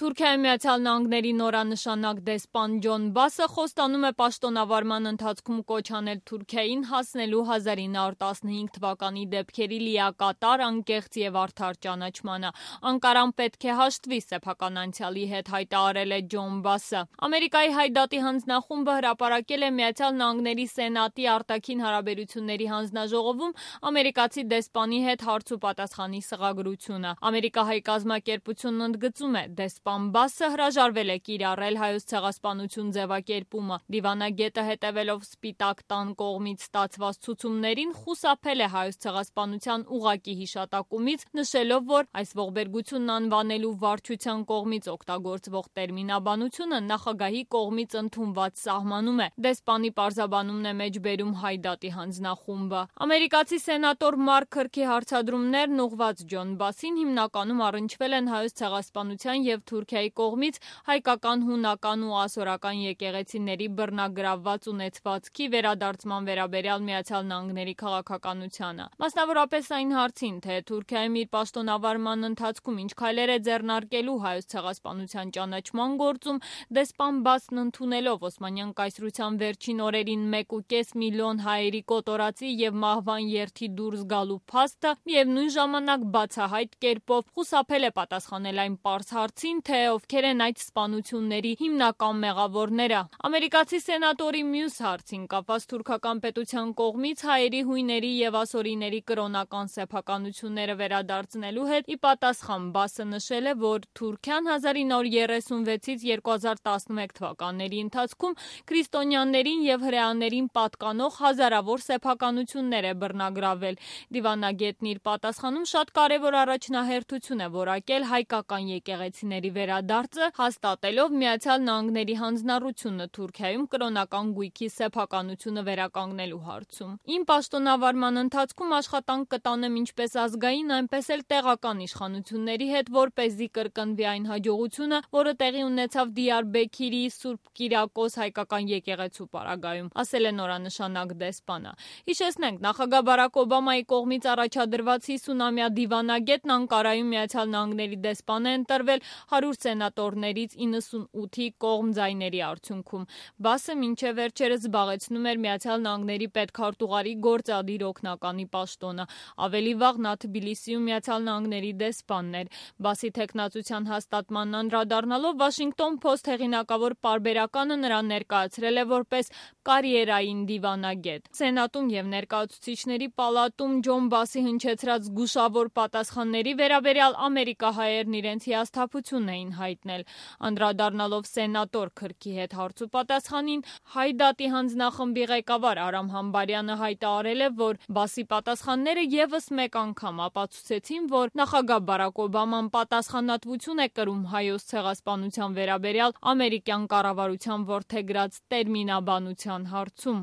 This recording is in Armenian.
Թուրքիայի Միացյալ Նահանգների նորանշանակ դեսպան Ջոն Բասը խոստանում է պաշտոնավարման ընթացքում կոչ անել Թուրքիային հասնելու 1915 թվականի դեպքերի լիակատար, անկեղծ և արդար ճանաչմանը։ Անկարան պետք է հաշտվի սեփական անցյալի հետ, հայտարարել է Ջոն Բասը։ Ամերիկայի Հայդատի հանձնախումբը հրապարակել է Միացյալ Նահանգների Սենատի արտաքին հարաբերությունների հանձնաժողովում ամերիկացի դեսպանի հետ հարց ու պատասխանի սղագրությունը։ Ամերիկահայ կազմակերպությունն ընդգծում է, դեսպան Բասը հրաժարվել է կիրառել Հայոց ցեղասպանություն ձևակերպումը։ Դիվանագետը, հետևելով Սպիտակ տան կողմից ստացված ցուցումներին, խուսափել է Հայոց ցեղասպանության ուղղակի հիշատակումից, նշելով, որ այս ողբերգությունն անվանելու վարչության կողմից օգտագործվող տերմինաբանությունը նախագահի կողմից ընդունված սահմանում է։ Դեսպանի պարզաբանումն է մեջբերում Հայդատի հանձնախումբը։ Ամերիկացի սենատոր Մարկ Քըրքի հարցադրումներն ուղղված Ջոն Բասին հիմնականում առնչվել են Հայոց ցեղասպանության և Թուրքիայի կողմից հայկական, հունական ու ասորական եկեղեցիների բռնագրավված ունեցվածքի վերադարձման վերաբերյալ Միացյալ Նահանգների քաղաքականությանը։ Մասնավորապես այն հարցին, թե Թուրքիայում իր պաշտոնավարման ընթացքում ինչ քայլեր է ձեռնարկելու Հայոց ցեղասպանության ճանաչման գործում, դեսպան Բասն ընդունելով Օսմանյան կայսրության վերջին օրերին 1,5 միլիոն հայերի կոտորածի և մահվան երթի դուրս գալու փաստը, միևնույն ժամանակ բացահայտ կերպով խուսափել է պատասխանել այն պարզ հարցին, թե ովքեր են այդ սպանությունների հիմնական մեղավորները։ Ամերիկացի սենատորի մյուս հարցին կապված թուրքական պետության կողմից հայերի, հույների և ասորիների կրոնական սեփականությունները վերադարձնելու հետ ի պատասխան Բասը նշել է, որ Թուրքիան 1936-ից 2011 թվականների ընթացքում քրիստոնյաներին և հրեաներին պատկանող հազարավոր սեփականություններ է բռնագրավել։ Դիվանագետն իր պատասխանում շատ կարևոր առաջնահերթություն է որակել հայկական եկեղեցիների վերադարձը, հաստատելով Միացյալ Նահանգների հանձնառությունը Թուրքիայում կրոնական գույքի սեփականությունը վերականգնելու հարցում։ Իմ պաշտոնավարման ընթացքում աշխատանք կտանեմ ինչպես ազգային, այնպես էլ տեղական իշխանությունների հետ, որպեսզի կրկնվի այն հաջողությունը, որը տեղի ունեցավ Դիարբեքիրի Սուրբ Կիրակոս հայկական եկեղեցու պարագայում, ասել է նորանշանակ դեսպանը։ Հիշեցնենք, նախագահ Բարաք Օբամայի կողմից առաջադրված 50-ամյա դիվանագետն Անկարայում Միացյալ Նահանգների դեսպան է ընտրվել 100 սենատորներից 98-ի կողմ ձայների արդյունքում։ Բասը մինչև վերջերս զբաղեցնում էր Միացյալ Նահանգների պետքարտուղարի գործադիր օգնականի պաշտոնը։ Ավելի վաղ նա Թբիլիսիում Միացյալ Նահանգների դեսպանն էր։ Բասի թեկնածության հաստատմանն անդրադառնալով Washington Post հեղինակավոր պարբերականը նրան ներկայացրել է որպես կարիերային դիվանագետ։ Սենատում և Ներկայացուցիչների պալատում Ջոն Բասի հնչեցրած զգուշավոր պատասխանների վերաբերյալ ամերիկահայերն իրենց հիասթափությունն էին հայտնել։ Անդրադառնալով սենատոր Քըրքի հետ հարց ու պատասխանին, Հայդատի հանձնախմբի ղեկավար Արամ Համբարյանը հայտարարել է, որ Բասի պատասխանները ևս մեկ անգամ ապացուցեցին, որ նախագահ Բարաք Օբաման պատասխանատվություն է կրում Հայոց ցեղասպանության վերաբերյալ ամերիկյան կառավարության որդեգրած տերմինաբանության հարցում։